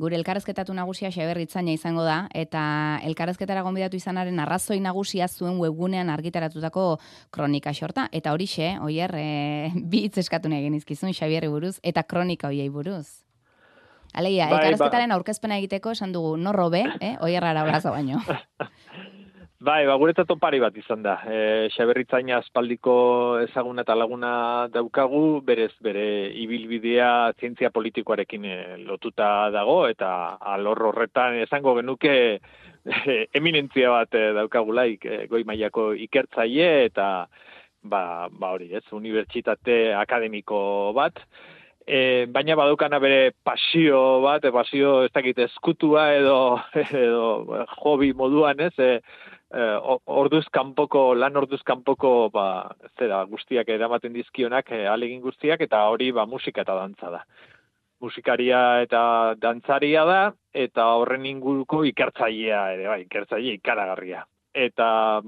Gure elkarrezketatu nagusia Xabier Itzaña izango da, eta elkarrezketara gonbidatu izanaren arrazoi nagusia zuen webgunean argitaratutako kronika xorta, eta horixe, Oier, bi hitz eskatu nahi genizkizun Xabierri buruz, eta kronika hoiei buruz. Alegia, elkarrezketaren aurkezpena egiteko esan dugu, norro be, Oier Araulazo baino. Guretzat opari bat izan da. Xabier Itzaña aspaldiko ezaguna eta laguna daukagu, berez bere ibilbidea zientzia politikoarekin lotuta dago, eta alor horretan esango genuke eminentzia bat daukagulaik, goi mailako ikertzaile eta hori, unibertsitate akademiko bat. Baina badaukana bere pasio bat, pasio ez dakit eskutua edo hobby moduan, orduz kanpoko guztiak eramaten dizkionak, alegin guztiak, eta hori musika eta dantza da. Musikaria eta dantzaria da, eta horren inguruko ikertzailea ere, ikertzaile ikaragarria. Eta,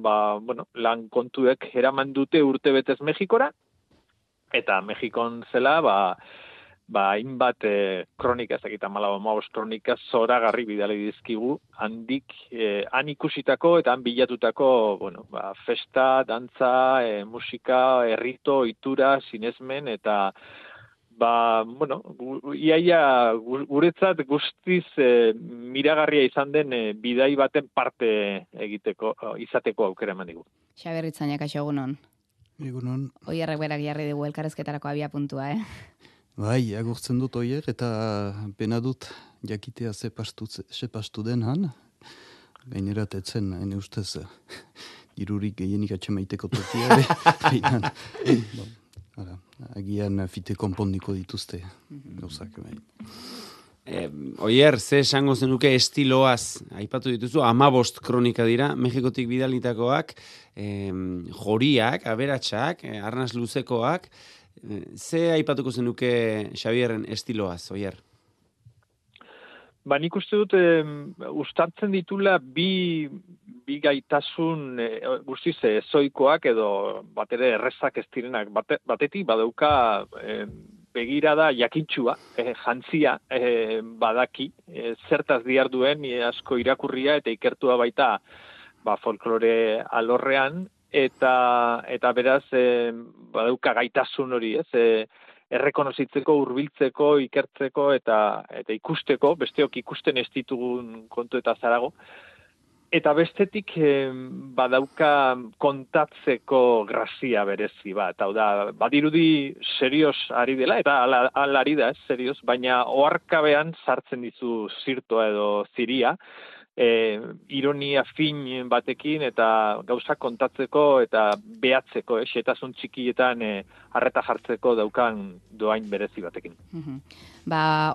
lan kontuek eraman dute urtebetez Mexikora, eta Mexikon zela, hainbat kronika, ez dakit 14 kronika zoragarri bidali dizkigu, handik han ikusitako eta han bilatutako, festa, dantza, musika, errito, itura, sinesmen, eta iaia guretzat guztiz miragarria izan den bidai baten parte izateko aukera eman digu. Xabier Itzaña, kaixo egunon. Egunon. Oierrek berak jarri dugu elkarrezketarako abia puntua, Bai, agurtzen dut Oier, eta pena dut jakitea sepastu den han. Gainerat etzen, hene ustez, irurik gehienik atxemaiteko tokia. Agian fite konpondiko dituzte gauzak. Oier, ze esango zenuke estiloaz, aipatu dituzu, 15 kronika dira, Mexikotik bidalitakoak, joriak, aberatsak, arnaz luzekoak, ze aipatuko zenuke Xabierren estiloaz, Oier? Nik uste dut, ustartzen ditula bi gaitasun guztiz ezoikoak edo bat ere errezak ez direnak. Batetik badauka begirada jakintxua, jantzia badaki, zertaz diarduen asko irakurria eta ikertua baita folklore alorrean, eta beraz badauka gaitasun hori, errekonozitzeko, hurbiltzeko, ikertzeko eta ikusteko, besteok ikusten ez ditugun kontu eta zarago. Eta bestetik badauka kontatzeko grazia berezi bat. Hau da, badirudi serioz ari dela, eta ala ari da, serioz, baina oharkabean sartzen dizu zirtoa edo ziria, ironia fin batekin eta gauzak kontatzeko eta behatzeko, xetasun txikietan harreta jartzeko daukan doain berezi batekin.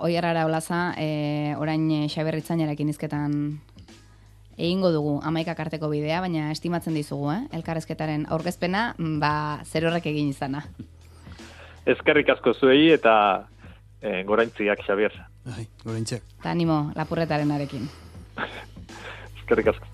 Oier Araulaza, orain Xabier Itzañarekin hizketan egingo dugu 11 arteko bidea, baina estimatzen dizugu, elkarrezketaren aurkezpena, zer horrek egin izana. Eskerrik asko zuei eta goraintziak, Xabier. Goraintziak. Ta animo, lapurretaren arekin. Eskerrik asko.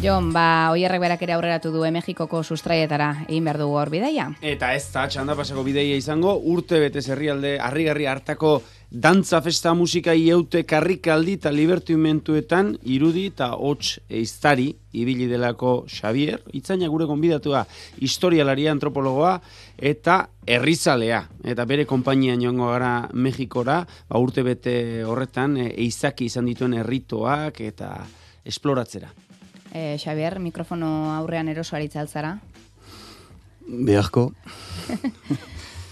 Jon, Oierrek berak ere aurreratu du Mexikoko sustraietara egin behar dugu hor bidaia. Eta ez da, txanda pasako bidaia izango, urte betez herrialde harrigarri hartako dantza festa musika ieute karrikaldi eta libertimentuetan irudi eta hots eiztari ibili delako Xabier Itzaña gure gonbidatua, historialaria, antropologoa eta herrizalea. Eta bere konpainian joango gara Mexikora, urte bete horretan eizaki izan dituen erritoak eta esploratzera. Xabier, mikrofono aurrean erosoari altzara? Beharko.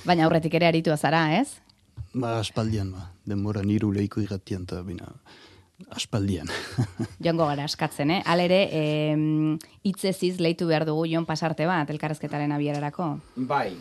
Baina aurretik ere aritua zara, ez? Aspaldian, denbora niru lehiko irratian, eta aspaldian. Joango gara askatzen, Halere, hitzeziz leitu behar dugu Jon pasarte bat, elkarrezketaren abierarako. Bai.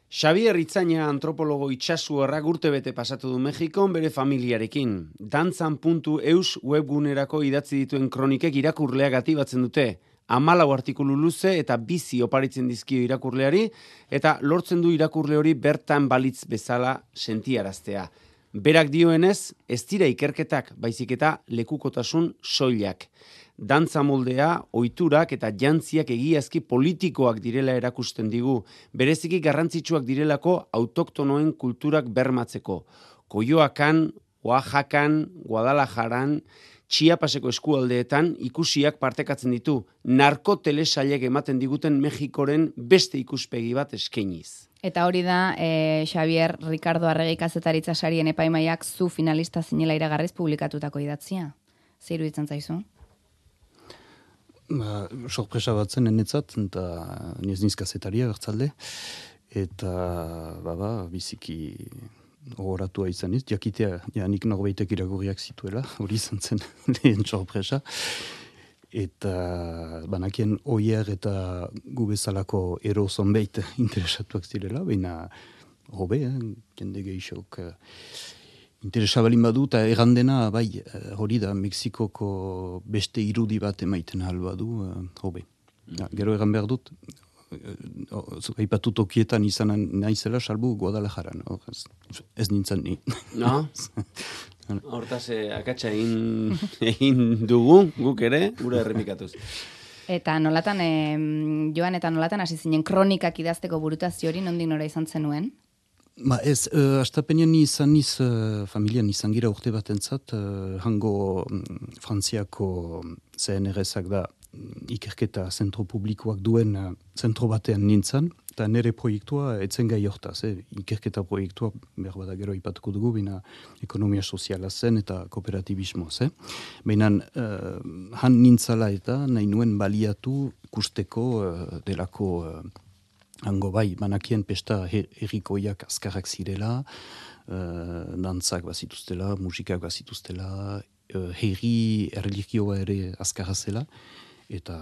Xabier Itzaña antropologo itxasuarrak urtebete pasatu du Mexikon bere familiarekin. Dantzan.eus webgunerako idatzi dituen kronikek irakurleak atibatzen dute. 14 artikulu luze eta bizi oparitzen dizkio irakurleari, eta lortzen du irakurle hori bertan balitz bezala sentiaraztea. Berak dioenez, ez dira ikerketak, baizik eta lekukotasun soilak. Dantza moldea, ohiturak eta jantziak egiazki politikoak direla erakusten digu, bereziki garrantzitsuak direlako autoktonoen kulturak bermatzeko. Koioakan, Oaxacan, Guadalajaran, Chiapaseko eskualdeetan ikusiak partekatzen ditu, narkotelesailek ematen diguten Mexikoren beste ikuspegi bat eskainiz. Eta hori da, Xavier Ricardo Arregi kazetaritza sarien epaimaiak zu finalista zinela iragarriz publikatutako idatzia. Zer iruditzen zaizu? Sorpresa bat zen enetzat, eta niz kazetaria gertzalde, eta biziki ogoratua izan iz, jakitea, nik norbaitek irakurriak zituela, hori izan zen lehen sorpresa. Eta banakien oier eta gu bezalako ero zonbeit interesatuak zirela, baina hobe, jende gehixok interesabalin badu, eta errandena, bai, hori da, Mexikoko beste irudi bat emaiten albadu, hobe. Gero egan behar dut, aipatu tokietan izan naizela salbu Guadalajaran, ez nintzen ni. No? Hortaz, akatsa egin dugu, guk ere, gure erremikatuz. Eta nolatan, Joan, eta nolatan hasi zinen kronikak idazteko burutazio hori, nondik nora izan zenuen? Ez, astapenean izan niz, familian izan gira urte batentzat, hango Frantziako CNRS-ak da ikerketa zentro publikoak duen zentro batean nintzen, eta nire proiektua etzen gai hortaz, ikerketa proiektua behar bada gero ipatuko dugu, baina ekonomia soziala zen eta kooperatibismoz. Baina han nintzala eta nahi nuen baliatu ikusteko delako hango bai, banakien pesta herrikoiak azkarrak zirela, dantzak bazituztela, musikak bazituztela, herri erlijioa ere azkarra zela, eta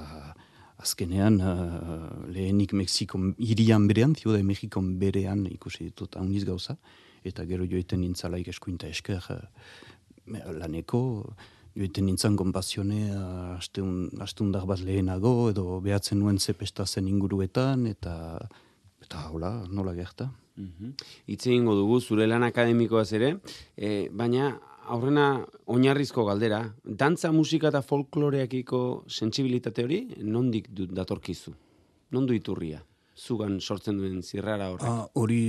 azkenean lehenik Mexiko hirian berean, Ciudad de México berean ikusi ditut hauniz gauza, eta gero joeten nintzalaik eskuinta esker laneko, joeten nintzen konpazione astundar bat lehenago, edo behatzen nuen zepesta zen inguruetan, eta hola, nola gerta. Hitz egingo dugu, zure lan akademikoaz ere, baina aurrena oinarrizko galdera, dantza, musika eta folkloreakiko sentsibilitate hori, nondik datorkizu? Nondu iturria? Zugan sortzen duen zirrara horrek? Hori,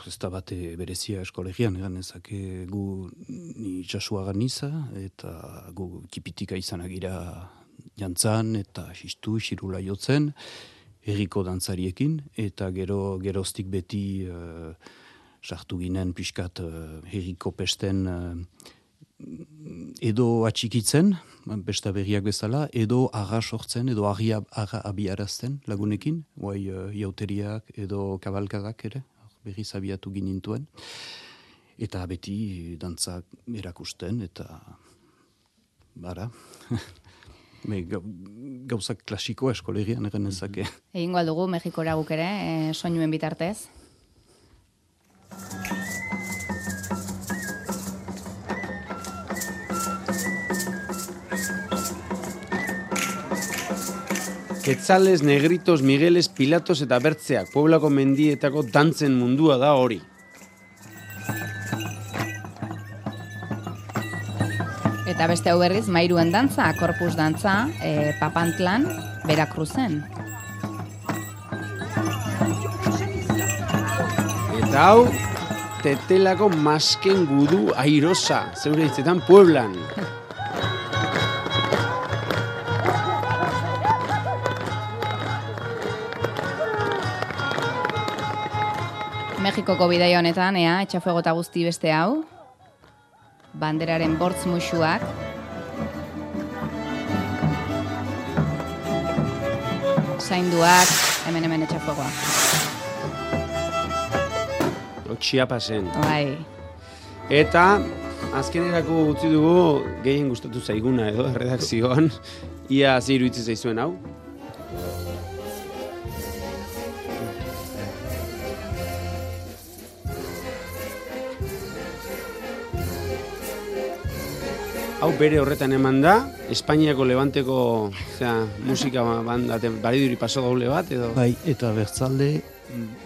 ez da bate berezia eskolegian, egan ezake gu ni itxasuagan niza, eta gu kipitika izanagira jantzan, eta xirula jotzen, herriko dantzariekin, eta geroztik beti sartu ginen pixkat herriko pesten edo atxikitzen, besta berriak bezala, edo arra sortzen, edo arra abiarazten lagunekin, guai jauteriak edo kabalkadak ere, berriz abiatu ginintuen, eta beti dantzak erakusten, eta bara, gauzak klasikoa eskolegian egen ezake. Egingo aldugu, Mexikora guk ere, soinuen bitartez. Quetzales, Negritos, Migueles, Pilatos eta Bertzeak, Pueblako mendietako dantzen mundua da hori. Eta beste hau berriz, Mairuen dantza, Corpus dantza, Papantlan, Veracruzen. Eta hau, Tetelako masken gudu airosa, zeure hitzetan Pueblan. Mexikoko bidaia honetan, etxafuego eta guzti beste hau, banderaren bortz musuak, zainduak, hemen etxafuegoa. Chiapasen. Bai. Eta azkenerako utzi dugu gehien gustatu zaiguna edo redakzioan, ia ze iruditzen zaizuen hau. Hau bere horretan eman da, Espainiako Levanteko musika bariduri paso gaule bat, edo? Bai, eta bertzalde,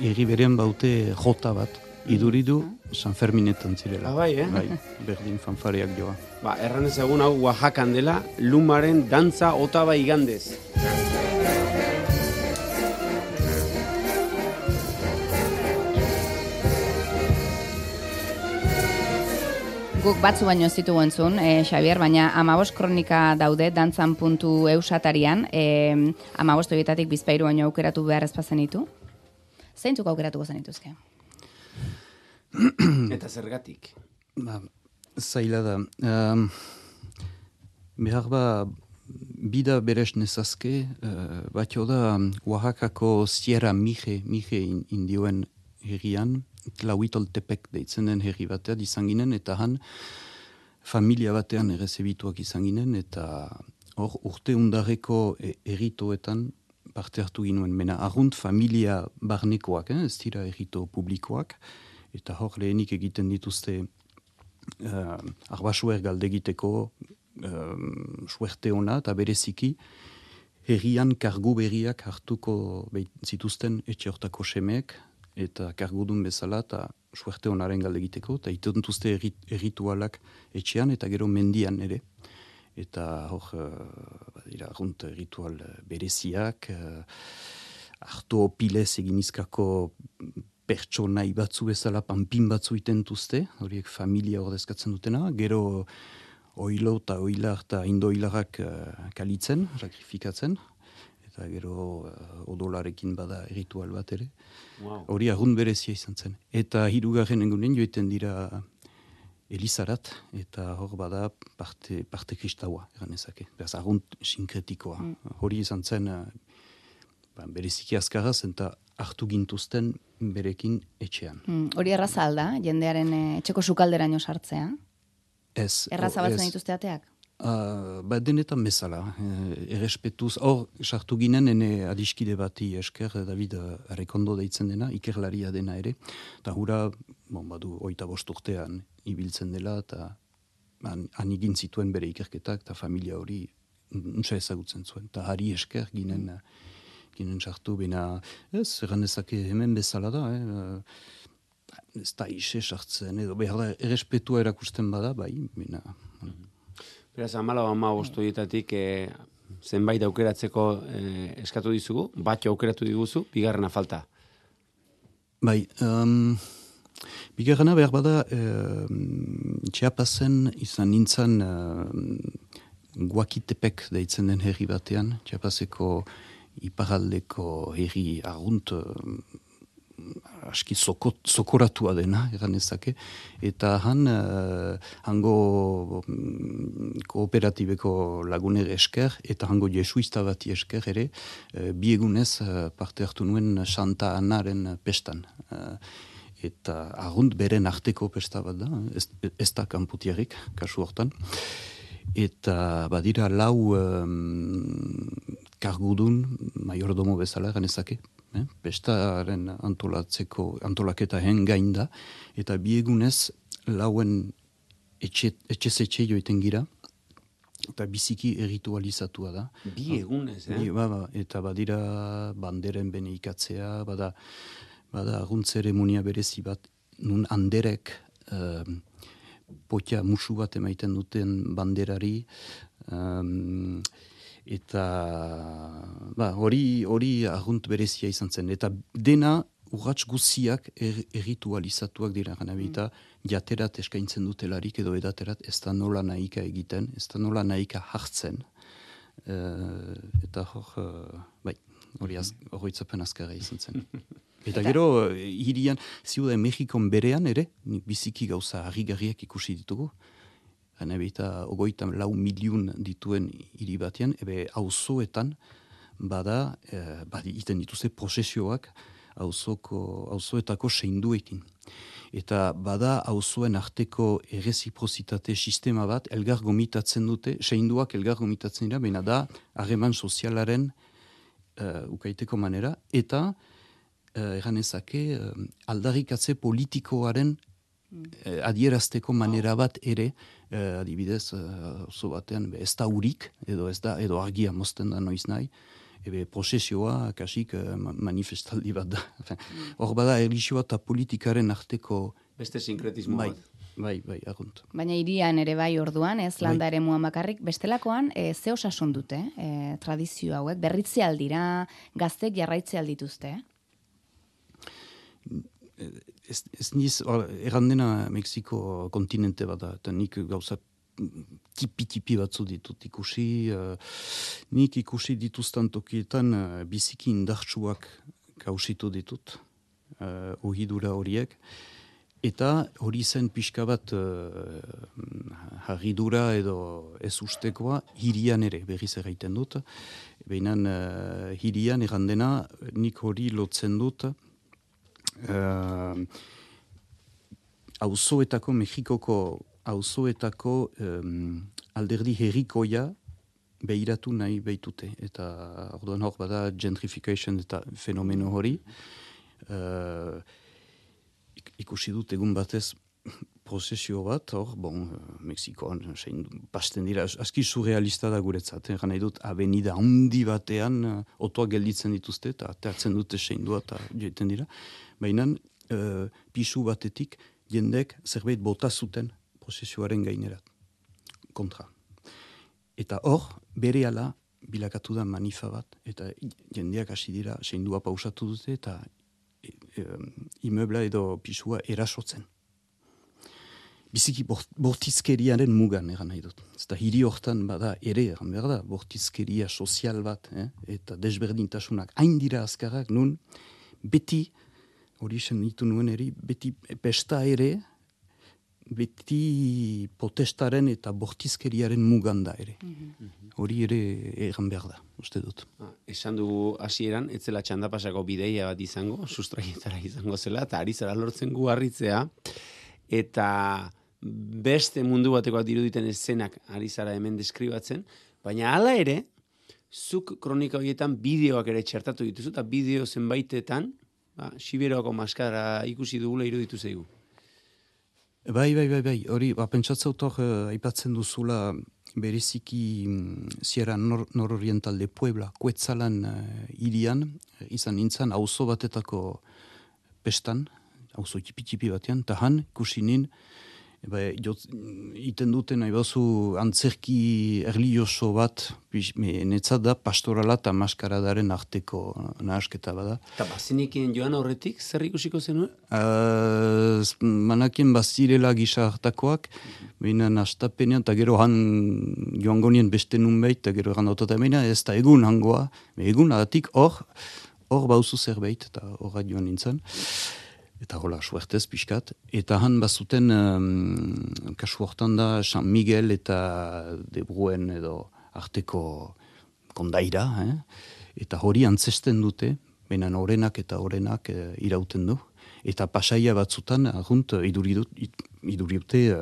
herri berean baute jota bat, iduridu, San Ferminetan zirela. Bai, Bai, berdin fanfareak joa. Erran ezagun hau Oaxacan dela, lumaren dantza otaba igandez. Guk batzu baino ez ditugu entzun, Xabier, baina 15 kronika daude dantzan.eu satarian, 15 horietatik bizpahiru baino aukeratu behar ezpazen ditu. Zeintzuk aukeratuko zenituzke? Eta zergatik? Zaila da. Behar bida beres nezazke, batio da Oaxacako Sierra Mije indioen herrian, Tlahuitoltepek deitzen den herri batean izan ginen, eta han familia batean errezebituak izan ginen, eta hor urte undarreko erritoetan parte hartu ginuen. Mena arrunt familia barnekoak, ez dira errito publikoak, eta hor lehenik egiten dituzte arbasuer galdegiteko suerte ona, eta bereziki herrian kargu berriak hartuko zituzten etxe hortako semeek, eta kargudun bezala, eta suerte honaren galde egiteko, eta itontuzte erritualak etxean, eta gero mendian ere. Eta hor, badira, arrunt ritual bereziak, hartu opilez eginizkako pertsonai batzu bezala panpin batzu itentuzte, horiek familia ordezkatzen dutena, gero oilo eta oilar eta indoilarak kalitzen, sakrifikatzen, eta gero odolarekin bada ritual bat ere. Hori arrunt berezia izan zen. Eta hirugarren egunen joiten dira Elizarat, eta hor bada parte kristaua, eranezake. Beraz, arrunt sinkretikoa. Hori izan zen bereziki azkaraz, eta hartu gintuzten berekin etxean. Hori erraza alda, jendearen etxeko sukalderaino sartzea? Ez. Erraza batzen dituzte ateak? Denetan bezala, errespetuz, hor sartu ginen ene adiskide bati esker, David Arrekondo deitzen dena, ikerlaria dena ere, eta hura, badu 25 urtean ibiltzen dela, eta han egin zituen bere ikerketak, eta familia hori nuntza ezagutzen zuen, eta hari esker ginen sartu, bena, ez, erranezake hemen bezala da, ez da ise sartzen, edo behar da, errespetua erakusten bada, bai, bena... Beraz, 14 horietatik zenbait aukeratzeko eskatu dizugu, batxo aukeratu diguzu, bigarrena falta. Bai, bigarrena behar bada Txiapazen izan nintzen Guakitepek deitzen den herri batean, Txiapazeko iparaldeko herri arrunt aski sokoratua dena, eranezake, eta hango kooperatibeko laguner esker, eta hango jesuista bati esker ere, biegunez parte hartu nuen Santa Anaren pestan. Eta arrunt beren arteko pesta bat da, ez da kanputiarik, kasu hortan. Eta badira 4 kargudun, maiordomo bezala, eranezake, pestaren antolaketa gain da, eta biegunez lauen etxe joiten gira, eta biziki erritualizatua da. Biegunez, Eta badira banderen bene ikatzea, bada arrunt zeremonia berezi bat, nun anderek potia musu bat emaiten duten banderari, eta hori arrunt berezia izan zen. Eta dena urratx guziak erritualizatuak dira gana bita, jaterat eskaintzen dutelarik edo edaterat ez da nola nahika egiten, ez da nola nahika hartzen. Eta hori horretzapen azkarra izan zen. Eta gero, hirian, Ziudad Mexikon berean ere, biziki gauza harrigarriak ikusi ditugu. Gana bita 24 milion dituen hiri batean, auzoetan bada, iten dituzte prozesioak auzoetako seinduekin. Eta bada auzoen arteko erreziprozitate sistema bat, elgar gomitatzen dute, seinduak elgar gomitatzen dira, baina da harreman sozialaren ukaiteko manera, eta eranezake aldarrikatze politikoaren adierazteko manera bat ere, adibidez, oso batean, ez da urik, edo argia mozten da noiz nahi, prozesioa, kasik manifestaldi bat da. Hor bada, erlijioa eta politikaren arteko Beste sinkretismo bai, bat. bai, argunt. Baina hirian ere bai orduan, ez landa ere muan bakarrik, bestelakoan, ze osasun dute, tradizio hauek, berritze aldira, gaztek jarraitze aldituzte, Ez niz, errandena Mexiko kontinente bada, eta nik gauza tipi batzu ditut ikusi, nik ikusi dituztan tokietan biziki indartsuak kausitu ditut, ohidura horiek, eta hori zen pixka bat harridura edo ez ustekoa hirian ere berriz erraiten dut, behinan hirian errandena nik hori lotzen dut, auzoetako, Mexikoko auzoetako alderdi herrikoia behiratu nahi behitute. Eta orduan hor bada gentrification eta fenomeno hori. Ikusi dut egun batez prozesio bat, hor, Mexikoan, pasten dira, aski surrealista da guretzat, nahi dut, avenida handi batean, otoak gelditzen dituzte, eta ateatzen dute seindua, eta joiten dira. Baina, pisu batetik, jendek zerbait bota zuten prozesioaren gainerat, kontra. Eta hor, berehala bilakatu da manifa bat, eta jendeak hasi dira, seindua pausatu dute, eta imeubla edo pisua erasotzen. Biziki bortizkeriaren mugan egan nahi dut. Eta hiri hortan bada ere, egan behar da, bortizkeria sozial bat, eta desberdintasunak hain dira azkarrak, nun beti, hori esen ditu nuen eri, beti pesta ere, beti protestaren eta bortizkeriaren mugan da ere. Hori ere egan behar da, uste dut. Esan dugu hasieran, ez zela txandapasako bideia bat izango, sustraietara izango zela, eta ari zara lortzen gu harritzea, eta beste mundu batekoak diruditen eszenak ari zara hemen deskribatzen, baina hala ere, zuk kronika horietan bideoak ere txertatu dituzu, eta bideo zenbaitetan, Siberoako maskara ikusi dugula iruditu zaigu. Bai, hori, pentsatzaut hor, aipatzen duzula bereziki Sierra Nororiental de Puebla, Kuetzalan hirian, izan nintzen, auzo batetako pestan, auzo tipi batean, eta han, ikusi nin, iten duten nahi bazu antzerki erlioso bat, netzat da pastorala eta maskaradaren arteko nahasketa bada. Eta bazinekien joan horretik, zer ikusiko zenuen? Manakien bazirela gisa hartakoak, behinan astapenean, eta gero han joango nien beste nunbait, eta gero egan dautat emena, ez da egun hangoa, egun adatik hor bauzu zerbait, eta horra joan nintzen. Eta hola, suertez, pixkat. Eta han bazuten, kasu hortan da, San Miguel eta De Bruen edo arteko kondaira, eta hori antzesten dute, benen orenak eta orenak irauten du. Eta pasaia batzutan, agunt, iduriute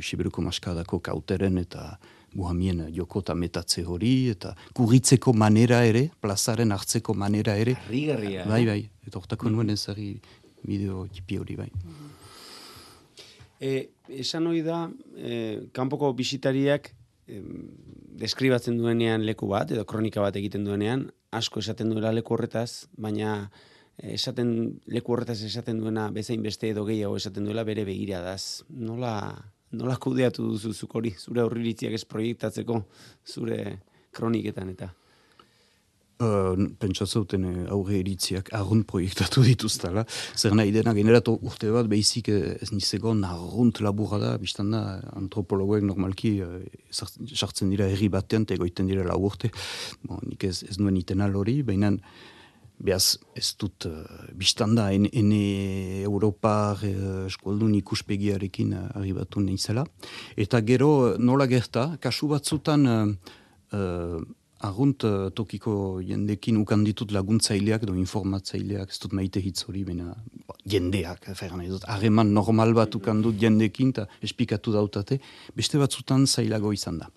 Siberuko maskadako kauteren eta buhamien joko eta metatze hori, eta kurritzeko manera ere, plazaren hartzeko manera ere. Harrigarria. Bai, eta hortako nuen ezari bideo tipi hori bai. Esan hori da, kanpoko bisitariak deskribatzen duenean leku bat, edo kronika bat egiten duenean, asko esaten duela leku horretaz, baina leku horretaz esaten duena bezain beste edo gehiago esaten duela bere begiradaz. Nola kudeatu duzu zuk hori, zure aurriritziak ez proiektatzeko, zure kroniketan eta? Pentsatzauten aurre eritziak arrunt proiektatu dituztala. Zer nahi dena generatu urte bat behizik ez nizegon arrunt laburra da, biztan da antropologoek normalki sartzen dira herri batean eta egoiten dira lau urte. Nik ez nuen itenal hori, baina behaz ez dut biztan da ene Europar eskualdun ikuspegiarekin arribatu nahizela. Eta gero nola gerta, kasu batzutan arrunt tokiko jendekin ukan ditut laguntzaileak edo informatzaileak, ez dut maite hitz hori, baina jendeak, harreman normal bat ukan dut jendekin, eta espikatu dautate, beste batzutan zailago izan da.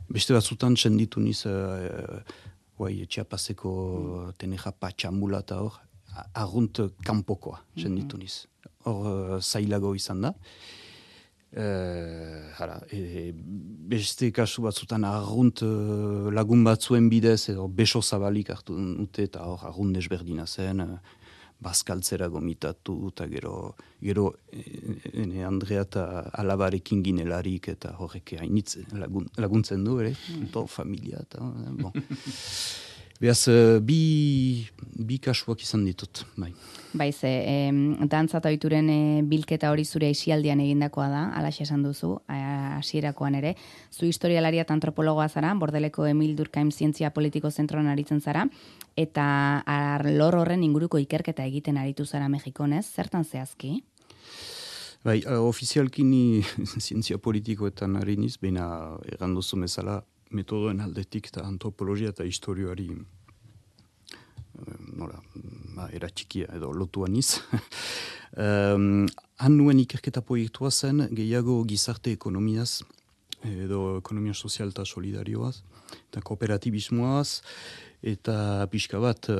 Beste batzutan txenditu niz, Txiapaseko Teneja Patxambula eta hor, arrunt kanpokoa txenditu niz. Hor zailago izan da. Beste kasu batzutan arrunt lagun batzuen bidez edo beso zabalik hartu dute eta hor arrunt desberdina zen, bazkaltzera gomitatu, eta gero Andrea eta alabarekin ginelarik, eta horrek hainitz laguntzen du, ere, familia, eta, bon. Beaz, bi kasuak izan ditut, bai. Baiz, dantza eta ohituren bilketa hori zure aisialdian egindakoa da, alaxe esan duzu, hasierakoan ere. Zu historialaria eta antropologoa zara, Bordeleko Emil Durkheim Zientzia Politiko Zentroan aritzen zara, eta lor horren inguruko ikerketa egiten aritu zara Mexikonez, zertan zehazki? Bai, ofizialki ni zientzia politikoetan ari niz, baina erranduzu bezala, metodoen aldetik eta antropologia eta historioari eratxikia edo lotua niz. Han nuen ikerketa proiektua zen gehiago gizarte ekonomiaz edo ekonomia sozial eta solidarioaz eta kooperatibismoaz eta pixka bat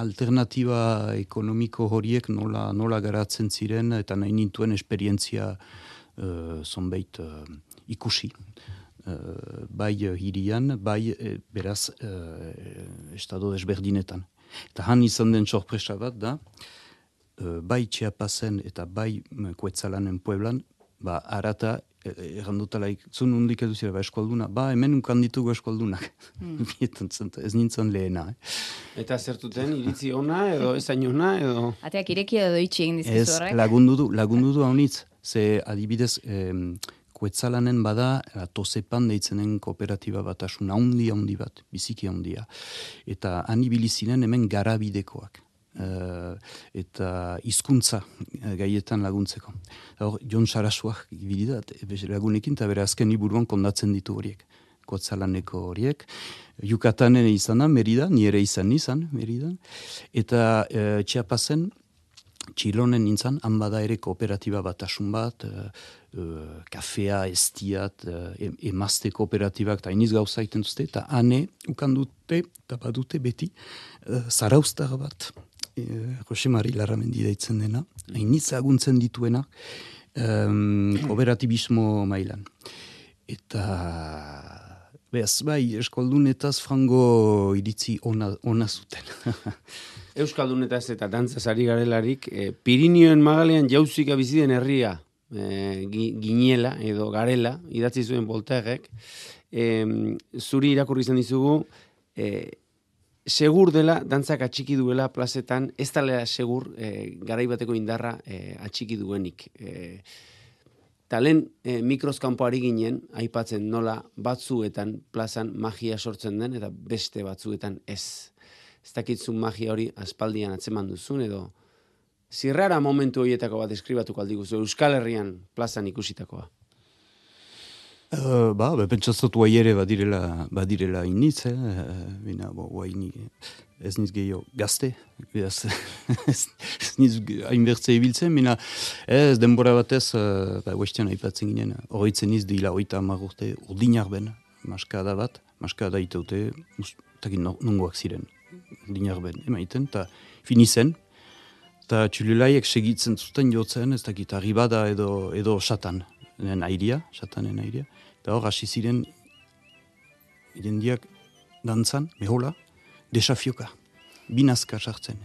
alternatiba ekonomiko horiek nola garatzen ziren eta nahi nintuen esperientzia zonbait ikusi. Bai hirian, bai beraz estado desberdinetan. Eta han izan den sorpresa bat da, bai Chiapasen eta bai Kuetzalanen Pueblan, arata, errandutalaik, zun hundik edu zira, eskolduna, hemen unkan ditugu eskoldunak. Ez nintzen lehena. Eta zertuten, iritzi ona, edo ezain ona, edo... Ateak ireki edo itxi egin dizkizu horrek? Ez, lagundu du haunitz. Ze adibidez, Kuetzalanen bada, Tosepan deitzenen kooperatiba batasun handi bat, biziki handia. Eta anibilizinen hemen garabidekoak. Eta hizkuntza gaietan laguntzeko. Jon Sarasuak bilidat, lagunekin, eta bere azken liburuan kondatzen ditu horiek. Kuetzalaneko horiek. Yucatanen izan da, Merida, nire izan, Merida. Eta Chiapasen, Txilonen nintzen, han bada ere kooperatiba batasun bat, kafea, estiat, emazte kooperatibak, eta iniz gauza iten duzte, eta hane ukandute, eta badute beti, zaraustar bat, Jose Mari Larramendi deitzen dena, iniz aguntzen dituena, kooperatibismo mailan. Eta... Beaz, bai, eskoldunetaz frango iritzi ona zuten. Euskaldunetaz eta dantzaz ari garelarik, Pirinioen magalean jauzika biziden herria ginela edo garela, idatzi zuen Voltairek, zuri irakurri izan dizugu, segur dela, dantzak atxiki duela plazetan, ez talea segur garaibateko indarra atxiki duenik. Talen mikroskampo ari ginen, aipatzen nola batzuetan plazan magia sortzen den, eta beste batzuetan ez. Ez dakitzun magia hori aspaldian atzeman duzun, edo zirrara momentu horietako bat eskribatuko aldiguzu, Euskal Herrian plazan ikusitakoa. Pentsatzatu ere badirela iniz, bina, ez niz gehiago gazte, ez niz hainbertze ibiltzen, bina, ez denbora batez, huestian aipatzen ginen, horretzen niz dila 30 urte urdinak ben, maskada bat, maskada itaute, takin nongoak ziren, urdinak ben, emaiten, eta finizen, eta txululaiek segitzen zuten jotzen, ez dakit, arribada edo satanen airia, eta hor hasi ziren jendiak dantzan, mehola, desafioka, binazka sartzen,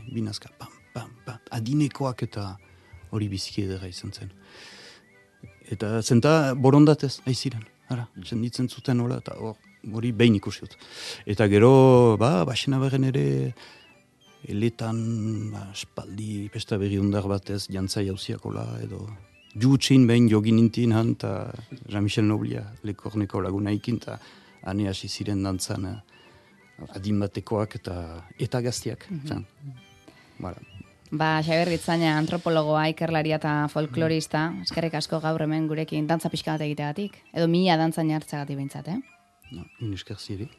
pam, pam, pam, adinekoak eta hori biziki edera izan zen. Eta zenta borondatez, aiziren, senditzen zuten hola, eta hori behin ikusiut. Eta gero, basena berren ere, eletan, espaldi, pesta berri undar batez, jantza jauziakola, edo jutsin behin joginintin han, eta Jean-Michel Noblia lekorneko lagunaikin, eta hane hasi ziren dantzan adin batekoak eta gaztiak. Xabier Ritzaina, antropologoa, ikerlaria eta folklorista, eskerrik asko gaur hemen gurekin dantza pixka bat egiteagatik, edo mila dantzan jartzagatik behintzat, No, esker ziri.